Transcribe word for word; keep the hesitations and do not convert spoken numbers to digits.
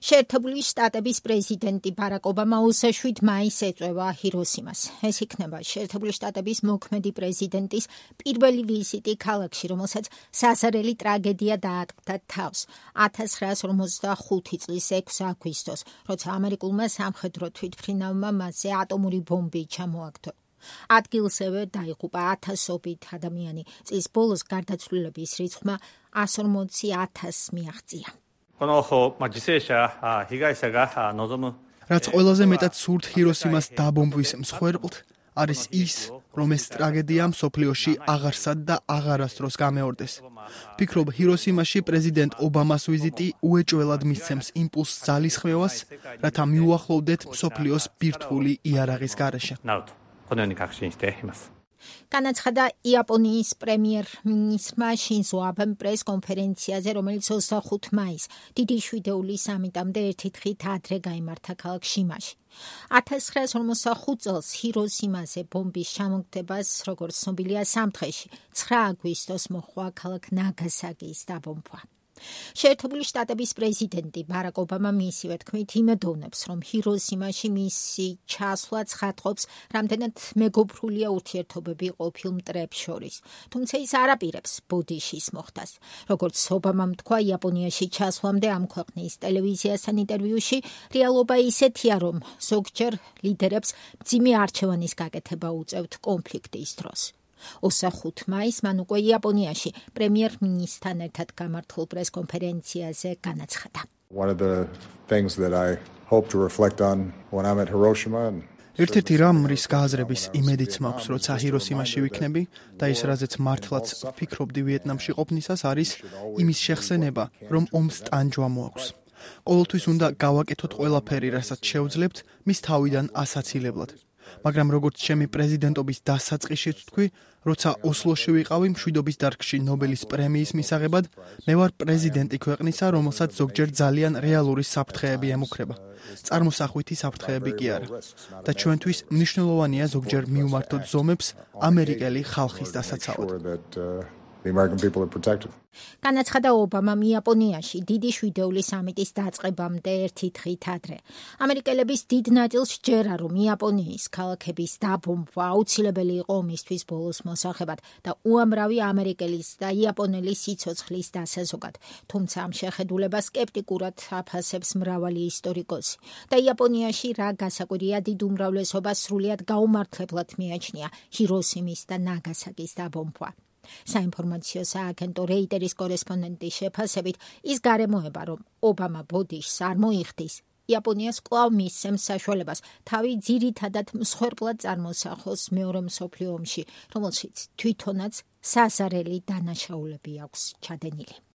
შეერთებული შტატების პრეზიდენტი ბარაკ ობამა ოცდაშვიდ მაისს ეწევა ჰიროსიმას. ეს იქნება შეერთებული შტატების მოქმედი პრეზიდენტის პირველი ვიზიტი ქალაქში, რომელსაც სასარელი ტრაგედია დაატყდა თავს ათას ცხრაას ორმოცდახუთი წლის ექვსი აგვისტოს, როცა ამერიკულმა სამხედრო თვითმფრინავმა მასზე ატომური ბომბი ჩამოაგდო. ადგილზევე დაიღუპა ათასობით ადამიანი. წლის ბოლოს გარდაცვლილების რიცხვმა ას ორმოცი ათასს მიაღწია. რაც ყველაზე მეტად სურთ ჰიროსიმას დაბომბვის მსხვერპლთ არის ის, რომ ეს ტრაგედია მსოფლიოში აღარსად და აღარასდროს გამეორდეს. ფიქრობ, ჰიროსიმაში პრეზიდენტ ობამას ვიზიტი უეჭველად მისცემს იმპულსს ძალისხმევას, რათა მიუახლოვდეთ მსოფლიოს ბირთვული იარაღის გარეშე. განაცხადა იაპონიის პრემიერ-მინისტრმა შინზო აბემ პრეს-კონფერენციაზე, რომელიც ოცდახუთ მაისს დიდი შვიდეული სამიტამდე ერთი დღით ადრე გაიმართა ქალაქ შიმაში. ათას ცხრაას ორმოცდახუთ წელს ჰიროსიმაზე ბომბის ჩამოგდებას, როგორც ცნობილია, სამთხედში ცხრა აგვისტოს მოჰყვა ქალაქ ნაგასაკის დაბომბვა. შეერთებული შტატების პრეზიდენტი ბარაკ ობამა მისივე თქმით იმედოვნებს, რომ ჰიროსიმაში მისი ჩასვლა ცხადყოფს, რამდენად მეგობრულია ურთიერთობები ყოფილ მტრებს შორის. თუმცა ის არ აპირებს ბოდიშის მოხდას. როგორც ობამამ თქვა იაპონიაში ჩასვლამდე ამ ქვეყნის ტელევიზიასთან ინტერვიუში, რეალობა ისეთია, რომ ზოგჯერ ლიდერებს მძიმე არჩევანის გაკეთება უწევთ კონფლიქტის დროს. ოცდახუთ მაისს მან უკვე იაპონიაში პრემიერ-მინისტრთან ერთად გამართულ პრეს-კონფერენციაზე განაცხადა. ერთ-ერთი რამ, რის გააზრების იმედიც მაქვს, როცა ჰიროსიმაში ვიქნები და ის, რაზეც მართლაც ვფიქრობდი ვიეტნამში ყოფნისას, არის იმის შეხსენება, რომ ომს ტანჯვა მოაქვს. ყოველთვის უნდა გავაკეთოთ ყველაფერი, რასაც შევძლებთ, მის თავიდან ასაცილებლად. მაგრამ როგორც ჩემი პრეზიდენტობის დასაწყისშიც თქვი, როცა ოსლოში ვიყავი მშვიდობის დარგში ნობელის პრემიის მისაღებად, მე ვარ პრეზიდენტი ქვეყნისა, რომელსაც ზოგჯერ ძალიან რეალური საფრთხეები ემუქრება. წარმოსახვითი საფრთხეები კი არა. და ჩვენთვის მნიშვნელოვანია ზოგჯერ მივმართოთ ზომებს ამერიკელი ხალხის დასაცავად. განაცხადა ობამამ იაპონიაში დიდი შვიდეული სამიტის დაწყებამდე ერთი დღით ადრე. ამერიკელების დიდ ნაწილს სჯერა, რომ იაპონიის ქალაქების დაბომბვა აუცილებელი იყო ომისთვის ბოლოს მოსახებად და უამრავი ამერიკელის და იაპონელის სიცოცხლის დასაზოგად. თუმცა ამ შეხედულებას სკეპტიკურად აფასებს მრავალი ისტორიკოსი. და იაპონიაში რა გასაკვირია, დიდ უმრავლესობას სრულიად გაუმართლებლად მიაჩნია ჰიროსიმის და ნაგასაკის დაბომბვა. საინფორმაციო სააგენტო რეიტერის კორესპონდენტის შეფასებით, ის გარემოება, რომ ობამა ბოდიშს არ მოიხდის, იაპონიას კვლავ მისცემს საშუალებას თავი ძირითადად მსხვერპლად წარმოსახოს მეორე მსოფლიო ომში, რომელშიც თვითონაც სასარელი დანაშაულები აქვს ჩადენილი.